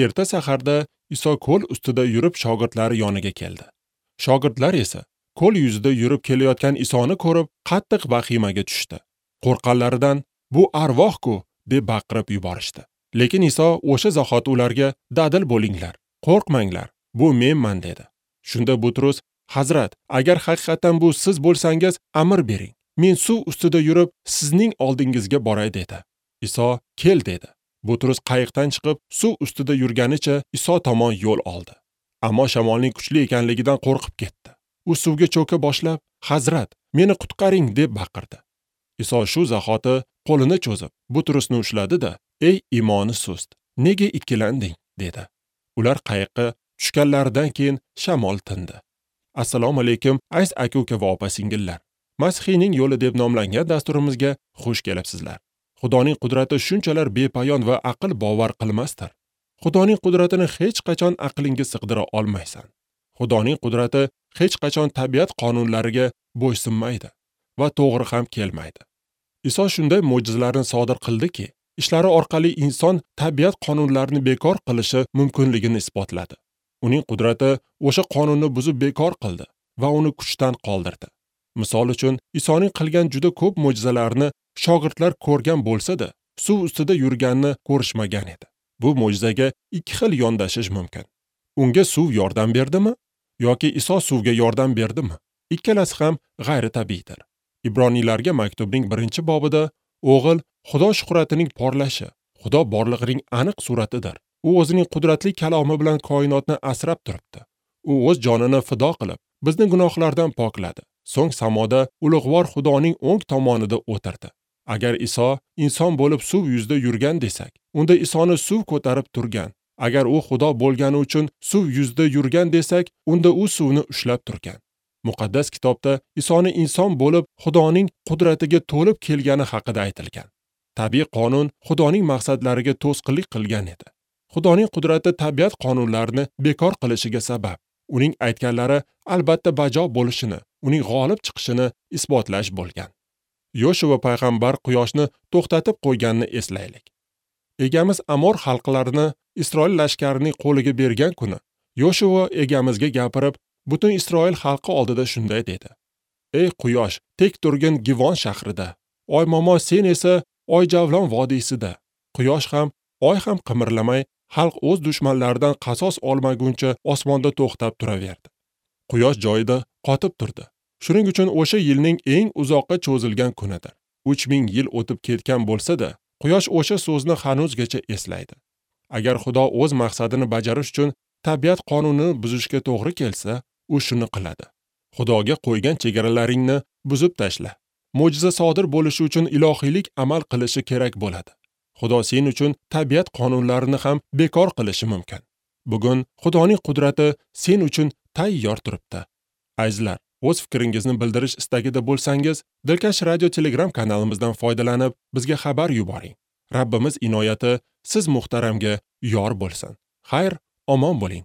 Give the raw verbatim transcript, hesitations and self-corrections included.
Erta saharda Iso ko'l ustida yurib shogirdlari yoniga keldi. Shogirdlar esa ko'l yuzida yurib kelayotgan Isoni ko'rib qattiq vahimaga tushdi. Qo'rqqanlaridan "Bu arvoh-ku" deb baqirib yuborishdi. Lekin Iso o'sha zahoti ularga "Dadil bo'linglar, qo'rqmanglar, bu menman" dedi. Shunda Butrus: "Hazrat, agar haqiqatan bu siz bo'lsangiz, amr bering. Men suv ustida yurib, sizning oldingizga boray" dedi. Iso "Kel" dedi. Butrus qayiqdan chiqib, suv ustida yurganicha Iso tomon yo'l oldi. Ammo shamolning kuchli ekanligidan qo'rqib ketdi. U suvga cho'ka boshlab, "Hazrat, meni qutqaring" deb baqirdi. Iso shu zahoti qo'lini cho'zib, Butrusni ushladi-da, "Ey iymoni sust, nega ikkilanding?" dedi. Ular qayiqqa tushganlaridan keyin shamol tindi. Assalomu alaykum, aziz aka-uka va opa-singillar. Masihiyning yo'li deb nomlangan dasturimizga xush kelibsizlar. Xudoning qudrati shunchalar bepoyon va aql bovar qilmasdir. Xudoning qudratini hech qachon aqlingga sig'dira olmaysan. Xudoning qudrati hech qachon tabiat qonunlariga bo'ysunmaydi va to'g'ri ham kelmaydi. Iso shunday mo'jizalarni sodir qildiki, ishlari orqali inson tabiat qonunlarini bekor qilishi mumkinligini isbotladi. Uning qudrati o'sha qonunni buzib bekor qildi va uni kuchdan qoldirdi. Misol uchun, Isoning qilgan juda ko'p mo'jizalarini shogirdlar ko'rgan bo'lsa-da, suv ustida yurganini ko'rishmagan edi. Bu mo'jizaga ikki xil yondashish mumkin. Unga suv yordam berdimi yoki Iso suvga yordam berdimi? Ikkalasi ham g'ayritabiiydir. Ibroniylarga maktubning birinchi bobida o'g'il Xudo shuhratining porlashi, Xudo borlig'ining aniq suratidir. U o'zining qudratli kalomi bilan koinotni asrab turibdi. U o'z jonini fido qilib, bizni gunohlardan pokladi. So'ng samoda ulug'vor Xudoning o'ng tomonida o'tirdi. Agar Iso inson bo'lib suv yuzida yurgan desak, unda Isoni suv ko'tarib turgan. Agar u Xudo bo'lgani uchun suv yuzida yurgan desak, unda u suvni ushlab turgan. Muqaddas kitobda Isoni inson bo'lib Xudoning qudratiga to'lib kelgani haqida aytilgan. Tabiiy qonun Xudoning maqsadlariga to'sqinlik qilgan edi. Xudoning qudrati tabiat qonunlarini bekor qilishiga sabab. Uning aytganlari albatta bajo bo'lishini, uning g'olib chiqishini isbotlash bo'lgan. Yoshua payg'ambar quyoshni to'xtatib qo'yganini eslaylik. Egamiz Amor xalqlarini Isroil lashkarining qo'liga bergan kuni Yoshua egamizga gapirib, butun Isroil xalqi oldida shunday dedi: "Ey quyosh, tek turgin Givon shahrida. Oy momo, sen esa Oyjavlon vodiysida." Quyosh ham, oy ham qimirlamay, xalq o'z dushmanlaridan qasos olmaguncha osmonda to'xtab turaverdi. Quyosh joyida qotib turdi. Shuning uchun o'sha yilning eng uzoqqa cho'zilgan kunidir. uch ming yil o'tib ketgan bo'lsa-da, quyosh o'sha so'zni hanuzgacha eslaydi. Agar Xudo o'z maqsadini bajarish uchun tabiat qonunini buzishga to'g'ri kelsa, u shuni qiladi. Xudoga qo'ygan chegaralaringni buzib tashla. Mo'jiza sodir bo'lishi uchun ilohiylik amal qilishi kerak bo'ladi. Xudo sen uchun tabiat qonunlarini ham bekor qilishi mumkin. Bugun Xudoning qudrati sen uchun tayyor turibdi. Azizlar, o'z fikringizni bildirish istagida bo'lsangiz, Dilkash Radio Telegram kanalimizdan foydalanib, bizga xabar yuboring. Rabbimiz inoyati siz muhtaramga yor bo'lsin. Xayr, omon bo'ling.